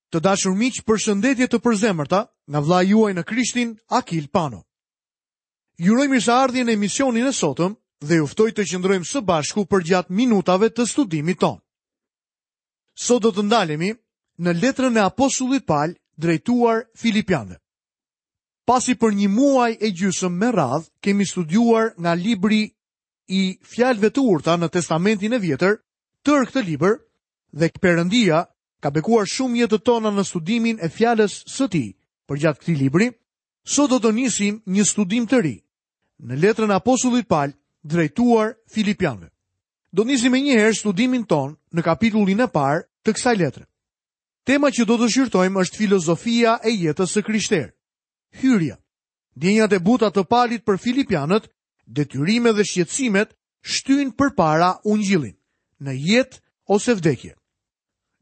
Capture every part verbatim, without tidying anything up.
Të dashur miq, përshëndetje të përzemërta nga vëllai juaj në Krishtin, Akil Pano. Ju uroj mirëseardhjen në emisionin e sotëm dhe ju ftoj të qëndrojmë së bashku përgjatë minutave të studimit tonë. Sot do të ndalemi në letrën e apostullit Pal drejtuar Filipianëve. Pasi për një muaj e gjysmë me radhë kemi studiuar nga libri i fjalëve të urta në Testamentin e Vjetër, tërë këtë libër dhe Perëndia ka bekuar shumë jetët tona në studimin e fjalës së tij përgjatë këtij libri, sot do të nisim një studim të ri në letrën e apostullit Pal drejtuar Filipianëve. Do të nisim menjëherë studimin tonë në kapitullin e parë të kësaj letre. Tema që do të shqyrtojmë është filozofia e jetës së krishterë. Hyrja. Ndjenjat e buta të Palit për Filipianët, detyrime dhe shqetësimet shtyjnë përpara ungjillin në jetë ose vdekje.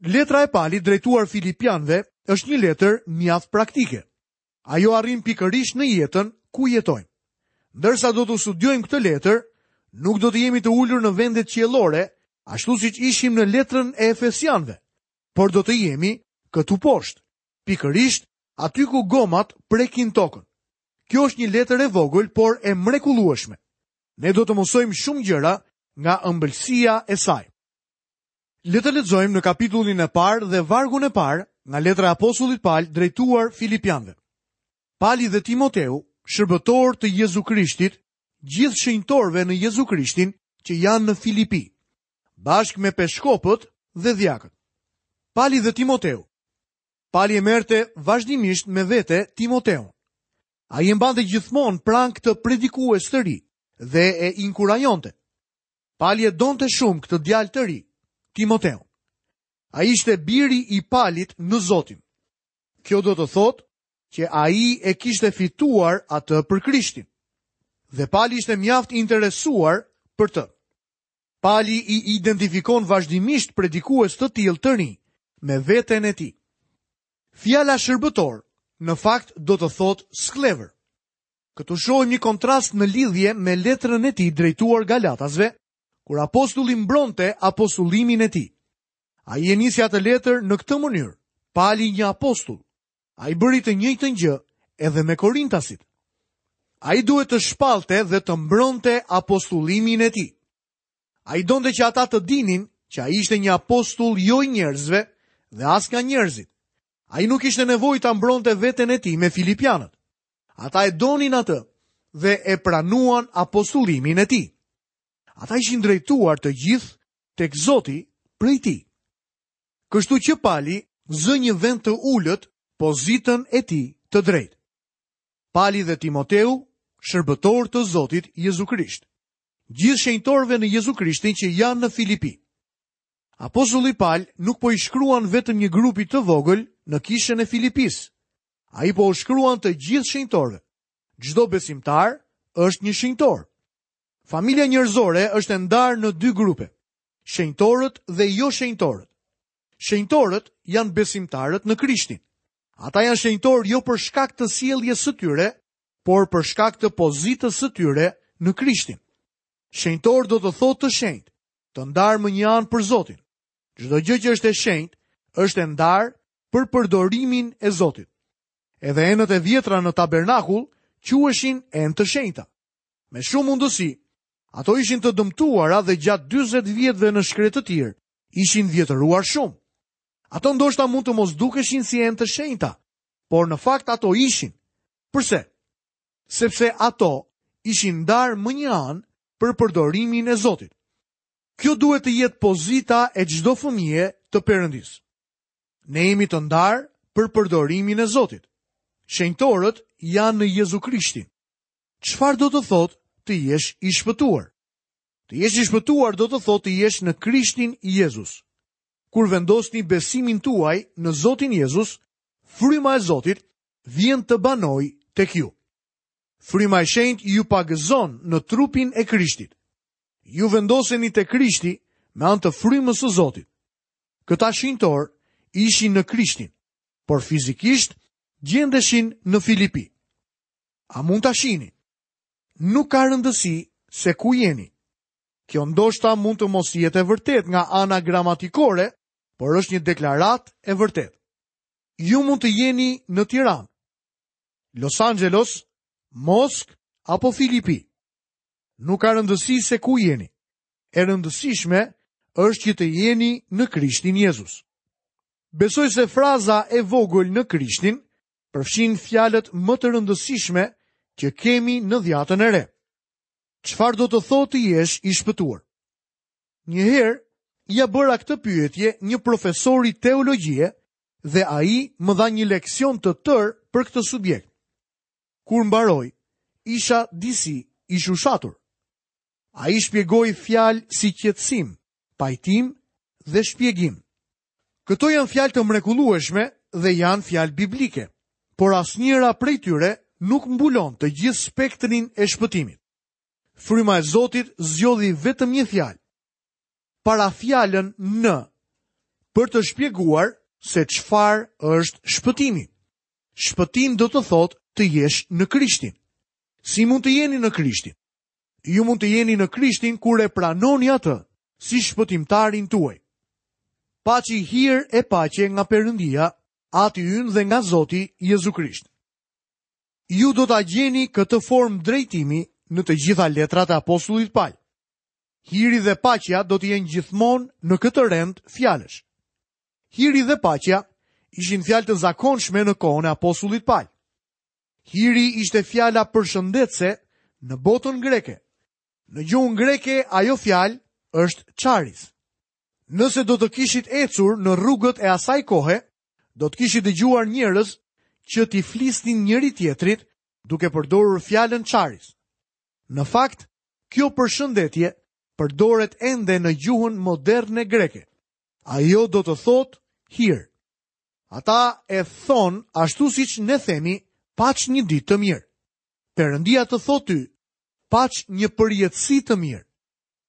Letra e Palit drejtuar Filipianëve është një letër mjaft praktike. Ajo arrin pikërisht në jetën ku jetojmë. Ndërsa do të studiojmë këtë letër, nuk do të jemi të ulur në vendet qiellore, ashtu siç ishim në letrën e Efesianëve, por do të jemi këtu poshtë, pikërisht aty ku gomat prekin tokën. Kjo është një letër e vogël, por e mrekullueshme. Ne do të mësojmë shumë gjëra nga ëmbëlsia e saj. Le të lexojmë në kapitullin e parë dhe vargun e parë nga letra e apostullit Pal drejtuar Filipianëve. Pali dhe Timoteu, shërbëtor të Jezu Krishtit, gjithë shenjtorëve në Jezu Krishtin që janë në Filipi, bashkë me peshkopët dhe dhjakët. Pali dhe Timoteu. Pali e merrte vazhdimisht me vete Timoteun. Ai e mbante gjithmonë pranë këtë predikues të ri dhe e inkurajonte. Pali e donte shumë këtë djalë të ri, Timoteun. Ai ishte biri i Palit në Zotin. Kjo do të thotë që ai e kishte fituar atë për Krishtin. Dhe Pali ishte mjaft i interesuar për të. Pali i identifikon vazhdimisht predikues të tillë të rinj me veten e tij. Fjala shërbëtor në fakt do të thotë skllevër. Këtu shohim një kontrast në lidhje me letrën e tij drejtuar Galatasve, kur apostulli mbronte apostullimin e tij. Ai e nisi atë letër në këtë mënyrë, Pali një apostull. Ai bëri të njëjtën gjë edhe me Korintasit. Ai duhet të shpallte dhe të mbronte apostullimin e tij. Ai donte që ata të dinin që ai ishte një apostull jo i njerëzve dhe as nga njerëzit. Ai nuk kishte nevojë ta mbronte veten e tij me Filipianët. Ata e donin atë dhe e pranuan apostullimin e tij. Ata ishin drejtuar të gjithë tek Zoti prej tij. Kështu që Pali zë një vend të ulët pozitën e tij të drejtë. Pali dhe Timoteu, shërbëtor të Zotit Jezu Krisht. Gjithë shenjtorëve në Jezu Krishtin që janë në Filipi. Apostulli Pal nuk po i shkruan vetëm një grupi të vogël në kishën e Filipisë. Ai po u shkruan të gjithë shenjtorëve. Çdo besimtar është një shenjtor. Familja njerëzore është e ndarë në dy grupe, shenjtorët dhe jo shenjtorët. Shenjtorët janë besimtarët në Krishtin. Ata janë shenjtorë jo për shkak të sjelljes së tyre, por për shkak të pozitës së tyre në Krishtin. Shenjtor do të thotë të shenjtë, të ndarë më një anë për Zotin. Çdo gjë që është e shenjtë është e ndarë për përdorimin e Zotit. Edhe enët e vjetra në tabernakull quheshin enë të shenjta. Me shumë mundësi, ato ishin të dëmtuara dhe gjatë dyzet vjetëve në shkretëtirë ishin vjetëruar shumë. Ato ndoshta mund të mos dukeshin si enë të shenjta, por në fakt ato ishin. Përse? Sepse ato ishin ndarë më një anë për përdorimin e Zotit. Kjo duhet të jetë pozita e çdo fëmije të Perëndisë. Ne jemi të ndarë për përdorimin e Zotit. Shenjtorët janë në Jezu Krishtin. Çfarë do të thotë të jesh i shpëtuar? Të jesh i shpëtuar do të thotë të jesh në Krishtin Jezus. Kur vendosni besimin tuaj në Zotin Jezus, fryma e Zotit vjen të banojë tek ju. Fryma e shenjtë ju pagëzon në trupin e Krishtit. Ju vendoseni te Krishti me anë të frymës së Zotit. Këta shenjtorë ishin në Krishtin, por fizikisht gjendeshin në Filipi. A mund ta shihni? Nuk ka rëndësi se ku jeni. Kjo ndoshta mund të mos jetë e vërtetë nga ana gramatikore, por është një deklaratë e vërtetë. Ju mund të jeni në Tiranë, Los Angeles, Moskë apo Filipi. Nuk ka rëndësi se ku jeni. E rëndësishme është që të jeni në Krishtin Jezus. Besoj se fraza e vogël në Krishtin përfshin fjalët më të rëndësishme që kemi në dhjatën e re. Çfarë do të thotë të jesh i shpëtuar? Një herë ia bëra këtë pyetje një profesori teologjie dhe ai më dha një leksion të tërë për këtë subjekt. Kur mbaroi, isha disi i shushatur. Ai shpjegoi fjalë si qetësim, pajtim dhe shpjegim. Këto janë fjalë të mrekullueshme dhe janë fjalë biblike, por asnjëra prej tyre nuk mbulon të gjithë spektrin e shpëtimit. Fryma e Zotit zgjodhi vetëm një fjalë, para fjalën në, për të shpjeguar se çfarë është shpëtimi. Shpëtim do të thotë të jesh në Krishtin. Si mund të jeni në Krishtin? Ju mund të jeni në Krishtin kur e pranoni atë si shpëtimtarin tuaj. Paçi hir e paqe nga Perëndia, Ati ynë dhe nga Zoti Jezu Krisht. Ju do ta gjeni këtë formë drejtimi në të gjitha letrat e apostullit Paul. Hiri dhe paqja do të jenë gjithmonë në këtë rend fjalësh. Hiri dhe paqja ishin fjalë të zakonshme në kohën e apostullit Paul. Hiri ishte fjala përshëndetëse në botën greke. Në gjuhën greke ajo fjalë është charis. Nëse do të kishit ecur në rrugët e asaj kohe, do të kishit dëgjuar njerëz që t'i flisnin njëri tjetrit duke përdorur fjalën charis. Në fakt, kjo përshëndetje përdoret ende në gjuhën moderne greke. Ajo do të thotë hir. Ata e thonë ashtu siç ne themi, paç një ditë të mirë. Perëndia të thotë ty, paç një përjetësi të mirë.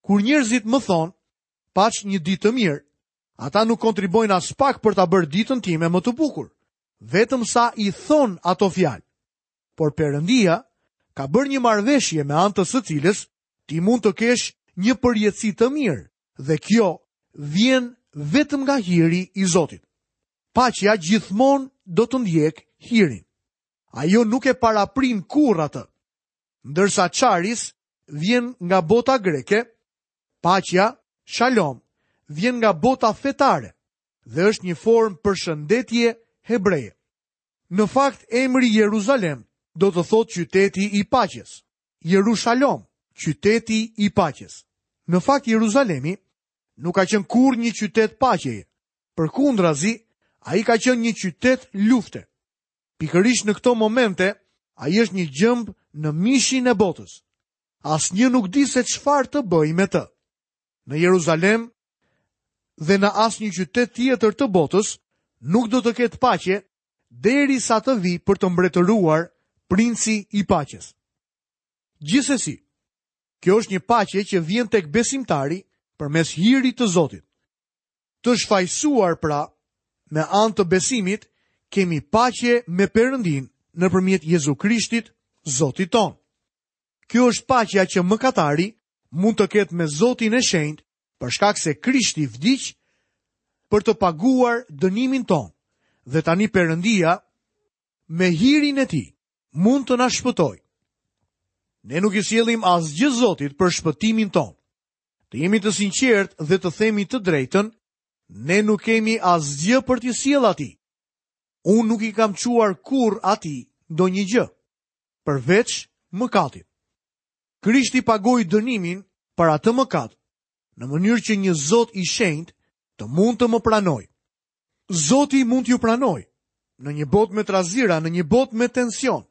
Kur njerëzit më thonë, paç një ditë të mirë, ata nuk kontribuojnë as pak për ta bërë ditën time më të bukur, vetëm sa i thonë ato fjalë. Por Perëndia ka bërë një marrëveshje me anë të së cilës ti mund të kesh një përjetësi të mirë, dhe kjo vjen vetëm nga hiri i Zotit. Paqja gjithmonë do të ndjek hirin. Ajo nuk e paraprin kurrë atë. Ndërsa charis vjen nga bota greke, paqja, shalom, vjen nga bota fetare dhe është një formë përshëndetje hebreje. Në fakt, emri Jeruzalem do të thotë qyteti i paqes. Jerushalom, qyteti i paqes. Në fakt, Jeruzalemi nuk ka qenë kurrë një qytet paqeje. Përkundrazi, ai ka qenë një qytet lufte. Pikërisht në këto momente, ai është një gjemb në mishin e botës. Asnjë nuk di se çfarë të bëjë me të. Në Jeruzalem dhe në asnjë qytet tjetër të botës nuk do të ketë paqe derisa të vijë për të mbretëruar princi i paqes. Gjithsesi, kjo është një paqe që vjen tek besimtari përmes hirit të Zotit. Të shfajsuar pra, me anë të besimit, kemi paqe me Perëndin nëpërmjet Jezu Krishtit, Zotit tonë. Kjo është paqja që mëkatari mund të ketë me Zotin e Shenjtë, për shkak se Krishti vdiq për të paguar dënimin tonë, dhe tani Perëndia me hirin e tij mund të na shpëtojë. Ne nuk i sjellim asgjë Zotit për shpëtimin tonë. Të jemi të sinqertë dhe të themi të drejtën, ne nuk kemi asgjë për t'i sjellë atij. Unë nuk i kam çuar kurrë atij ndonjë gjë, përveç mëkatit. Krishti pagoi dënimin për atë mëkat, në mënyrë që një Zot i shenjtë të mund të më pranojë. Zoti mund t'ju pranojë në një botë me trazira, në një botë me tension,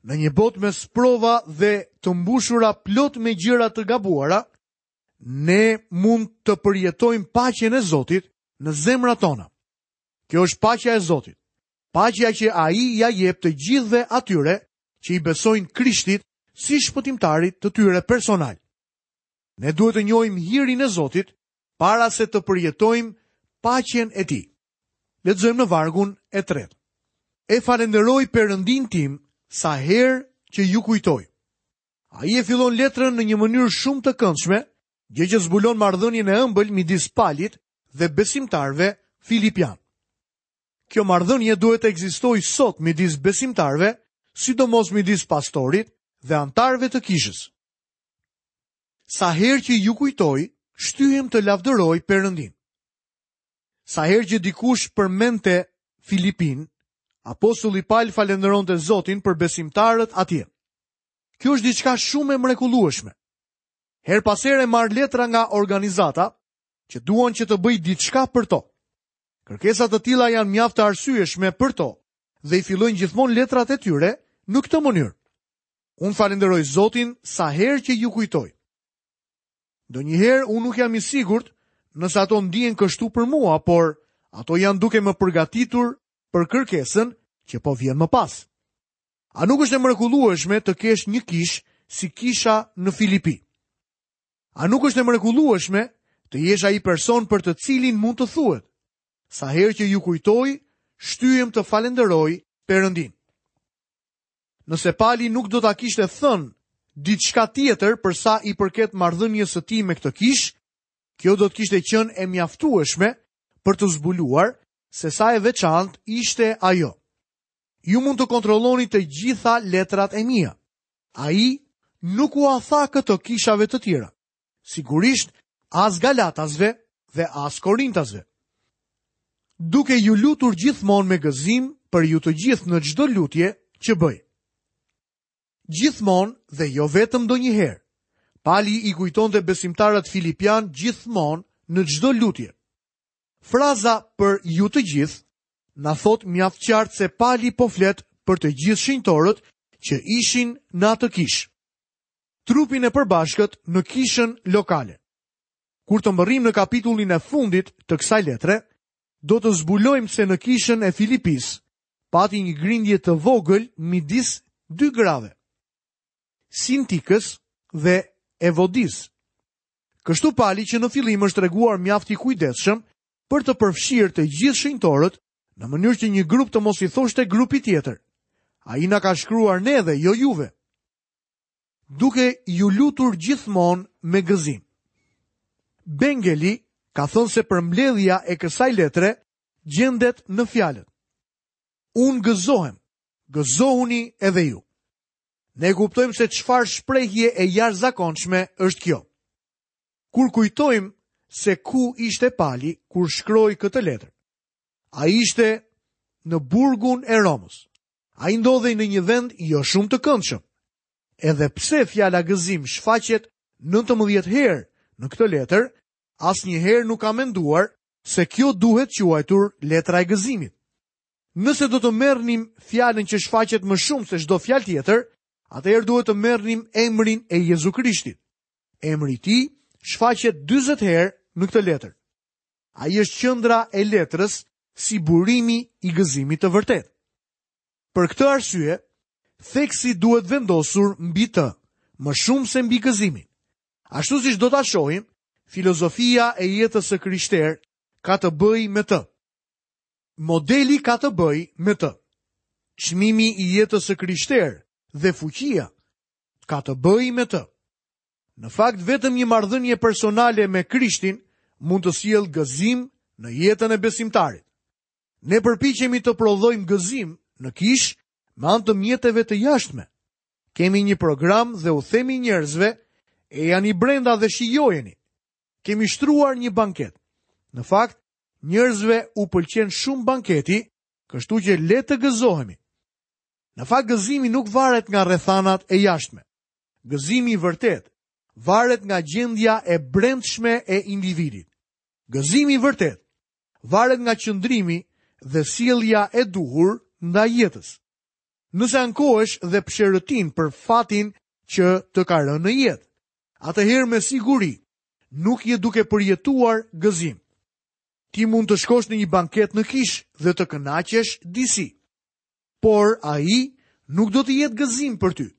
në një botë me sprova dhe të mbushura plot me gjëra të gabuara, ne mund të përjetojmë paqen e Zotit në zemrat tona. Kjo është paqja e Zotit. Paqja që ai ja jep të gjithëve atyre që i besojnë Krishtit si shpëtimtarit të tyre personal. Ne duhet të njohim hirin e Zotit para se të përjetojmë paqen e tij. Lexojmë në vargun e tretë. E falenderoj Perëndin tim sa herë që ju kujtoj. Ai e fillon letrën në një mënyrë shumë të këndshme, gjë që zbulon marrëdhënien e ëmbël midis Palit dhe besimtarëve filipian. Kjo marrëdhënie duhet të ekzistojë sot midis besimtarëve, sidomos midis pastorit dhe anëtarëve të kishës. Sa herë që ju kujtoj, shtyhem të lavdëroj Perëndin. Sa herë që dikush përmendte Filipin, apostulli Paul falënderonte Zotin për besimtarët atje. Kjo është diçka shumë e mrekullueshme. Her pas here marr letra nga organizata që duan që të bëj diçka për to. Kërkesa të tilla janë mjaft të arsyeshme për to dhe i fillojnë gjithmonë letrat e tyre në këtë mënyrë. Unë falenderoj Zotin sa herë që ju kujtoj. Ndonjëherë unë nuk jam i sigurt nëse ato ndihen kështu për mua, por ato janë duke më përgatitur për kërkesën që po vjen më pas. A nuk është e mrekullueshme të kesh një kishë si kisha në Filipi? A nuk është e mrekullueshme të jesh ai person për të cilin mund të thuhet? Sa herë që ju kujtoj, shtyhem të falenderoj Perëndin. Nëse Pali nuk do ta kishte thënë diçka tjetër për sa i përket marrëdhënies së tij me këtë kishë, kjo do të kishte qenë e mjaftueshme për të zbuluar se sa e veçantë ishte ajo. Ju mund të kontrolloni të gjitha letrat e mia. Ai nuk ua tha këto kishave të tjera. Sigurisht, as Galatasve dhe as Korintasve. Duke ju lutur gjithmonë me gëzim për ju të gjithë në çdo lutje që bëj. Gjithmonë dhe jo vetëm ndonjëherë. Pali i kujtonte besimtarët filipian gjithmonë në çdo lutje. Fraza për ju të gjithë na thot mjaft qartë se Pali po flet për të gjithë shenjtorët që ishin në atë kishë. Trupin e përbashkët në kishën lokale. Kur të mbërrim në kapitullin e fundit të kësaj letre, do të zbulojmë se në kishën e Filipisë pati një grindje të vogël midis dy grave, Sintikës dhe Evodis. Kështu Pali që në fillim është treguar mjaft i kujdesshëm për të përfshirë të gjithë shenjtorët në mënyrë që një grup të mos i thoshte grupi tjetër. Ai na ka shkruar ne dhe jo juve. Duke ju lutur gjithmonë me gëzim. Bengeli ka thënë se përmbledhja e kësaj letre gjendet në fjalët. Unë gëzohem, gëzohuni edhe ju. Ne kuptojmë se çfarë shprehje e jashtëzakonshme është kjo. Kur kujtojmë se ku ishte Pali kur shkroi këtë letër. Ai ishte në burgun e Romës. Ai ndodhej në një vend jo shumë të këndshëm. Edhe pse fjala gëzim shfaqet nëntëmbëdhjetë herë në këtë letër, asnjëherë nuk ka menduar se kjo duhet quajtur letra e gëzimit. Nëse do të merrnim fjalën që shfaqet më shumë se çdo fjalë tjetër, atëherë duhet të merrnim emrin e Jezu Krishtit. Emri i tij shfaqet dyzet herë në këtë letër. Ai është qendra e letrës si burimi i gëzimit të vërtetë. Për këtë arsye, theksi duhet vendosur mbi të, më shumë se mbi gëzimin. Ashtu siç do ta shohim, filozofia e jetës së krishterë ka të bëjë me të. Modeli ka të bëjë me të. Çmimi i jetës së krishterë dhe fuqia ka të bëjë me të. Në fakt, vetëm një marrëdhënie personale me Krishtin mund të sjellë gëzim në jetën e besimtarit. Ne përpiqemi të prodhojmë gëzim në kishë me anë të mjeteve të jashtme. Kemi një program dhe u themi njerëzve, ejani brenda dhe shijojeni. Kemi shtruar një banket. Në fakt, njerëzve u pëlqen shumë banketi, kështu që le të gëzohemi. Në fakt, gëzimi nuk varet nga rrethanat e jashtme. Gëzimi i vërtet varet nga gjendja e brendshme e individit. Gëzimi i vërtet varet nga qëndrimi dhe sjellja e duhur ndaj jetës. Nëse ankohesh dhe psherëtin për fatin që të ka rënë në jetë, atëherë me siguri nuk je duke përjetuar gëzim. Ti mund të shkosh në një banket në kishë dhe të kënaqesh disi, por ai nuk do të jetë gëzim për ty.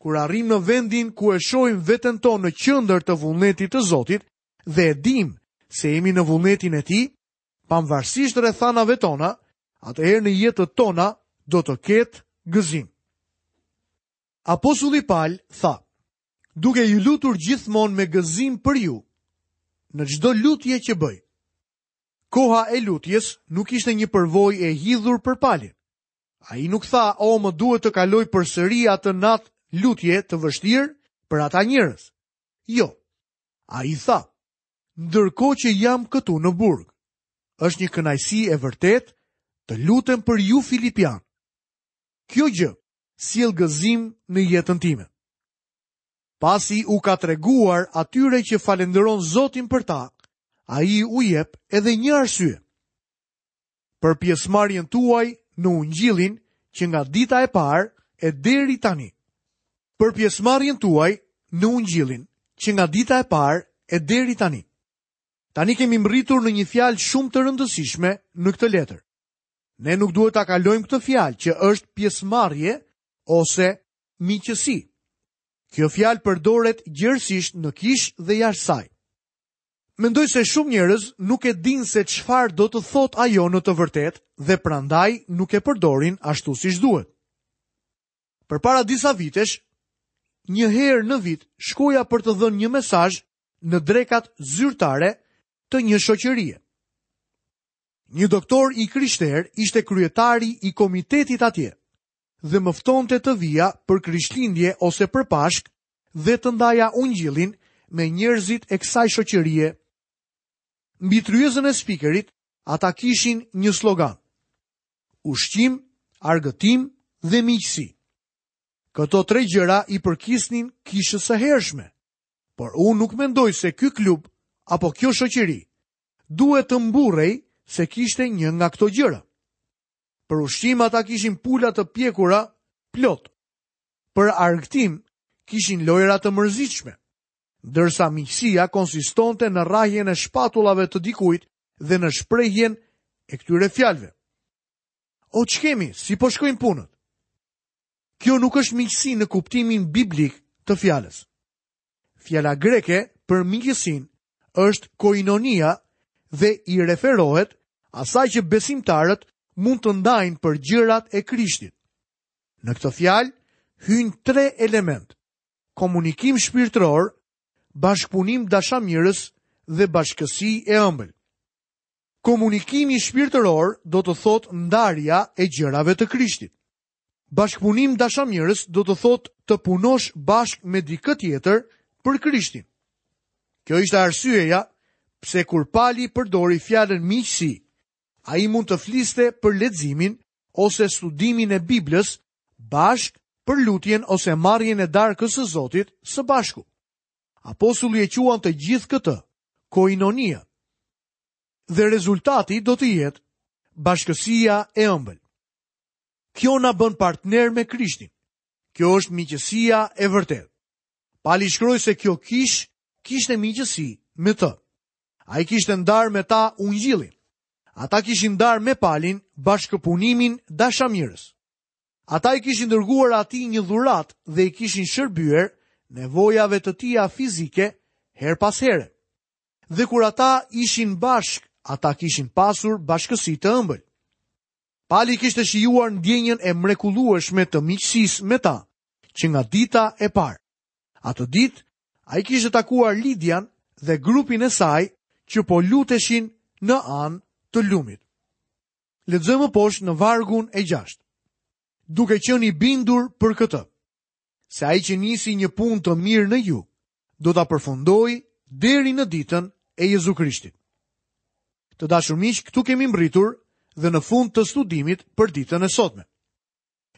Kur arrim në vendin ku e shohim veten tonë në qendër të vullnetit të Zotit dhe e dim se jemi në vullnetin e Tij, pavarësisht rrethanave tona, atëherë në jetët tona do të ketë gëzim. Apostulli Paul tha, duke ju lutur gjithmonë me gëzim për ju, në çdo lutje që bëj. Koha e lutjes nuk ishte një përvojë e hidhur për Palin. Ai nuk tha, o, më duhet të kaloj përsëri atë natë lutje të vështirë për ata njerëz. Jo. Ai tha, ndërkohë që jam këtu në burg, është një kënaqësi e vërtetë të lutem për ju Filipian. Kjo gjë sjell gëzim në jetën time. Pasi u ka treguar atyre që falënderon Zotin për ta, ai u jep edhe një arsye. Për pjesëmarrjen tuaj në ungjillin që nga dita e parë e deri tani. Për pjesëmarrjen tuaj në ungjillin që nga dita e parë e deri tani. Tani kemi mbërritur në një fjalë shumë të rëndësishme në këtë letër. Ne nuk duhet ta kalojmë këtë fjalë që është pjesëmarrje ose miqësi. Kjo fjalë përdoret gjerësisht në kishë dhe jashtë saj. Mendoj se shumë njerëz nuk e dinë se çfarë do të thotë ajo në të vërtetë dhe prandaj nuk e përdorin ashtu siç duhet. Përpara disa vitesh, një herë në vit shkoja për të dhënë një mesazh në drekat zyrtare të një shoqërie. Një doktor i krishterë ishte kryetari i komitetit atje dhe më ftonte të vija për Krishtlindje ose për Pashk dhe të ndaja ungjillin me njerëzit e kësaj shoqërie. Mbi tryezën e spikerit, ata kishin një slogan: ushqim, argëtim dhe miqësi. Këto tre gjëra i përkisnin kishës së hershme, por unë nuk mendoj se ky klub apo kjo shoqëri duhet të mburrej se kishte një nga këto gjëra. Për ushqim ata kishin pula të pjekura plot. Për argëtim kishin lojra të mërzitshme, ndërsa miqësia konsistonte në rrahjen e shpatullave të dikujt dhe në shprehjen e këtyre fjalëve. O ç'kemi, si po shkojnë punët? Kjo nuk është miqësi në kuptimin biblik të fjalës. Fjala greke për miqësinë është koinonia dhe i referohet asaj që besimtarët mund të ndajnë për gjërat e Krishtit. Në këtë fjalë hyjnë tre element: komunikim shpirtëror, bashkëpunim dashamirës dhe bashkësi e ëmbël. Komunikimi shpirtëror do të thotë ndarja e gjërave të Krishtit. Bashkëpunim dashamirës do të thotë të punosh bashkë me dikë tjetër për Krishtin. Kjo ishte arsyeja pse kur Pali përdori fjalën miqësi, ai mund të fliste për leximin ose studimin e Biblës bashkë për lutjen ose marrjen e darkës së Zotit së bashku. Apostulli e quan të gjithë këtë koinonia. Dhe rezultati do të jetë bashkësia e ëmbël. Kjo na bën partner me Krishtin. Kjo është miqësia e vërtetë. Pali shkroi se kjo kish kishte miqësi me të. Ai kishte ndarë me ta ungjillin. Ata kishin ndarë me Palin bashkëpunimin dashamirës. Ata i kishin dërguar atij një dhuratë dhe i kishin shërbyer nevojave të tija fizike her pas here. Dhe kur ata ishin bashk, ata kishin pasur bashkësi të ëmbël. Pali kishte shijuar ndjenjën e mrekullueshme të miqësisë me ta, që nga dita e parë. Atë ditë, ai kishte takuar Lidian dhe grupin e saj që po luteshin në anë të lumit. Lexojmë poshtë në vargun e gjashtë. Duke qenë i bindur për këtë, se ai që nisi një punë të mirë në ju, do ta përfundojë deri në ditën e Jezu Krishtit. Të dashur miq, këtu kemi mbërritur dhe në fund të studimit për ditën e sotme.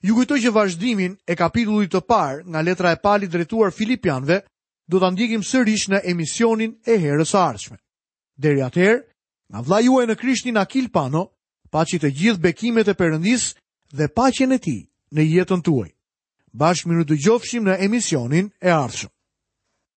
Ju kujtoj që vazhdimin e kapitullit të parë nga letra e Palit drejtuar Filipianëve do ta ndjekim sërish në emisionin e herës së ardhshme. Deri atëherë, nga vëllai juaj në Krishtin Akil Pano, paçi të gjithë bekimet e Perëndisë dhe paqen e tij në jetën tuaj. Bashkë mirë dëgjofshim në emisionin e ardhshëm.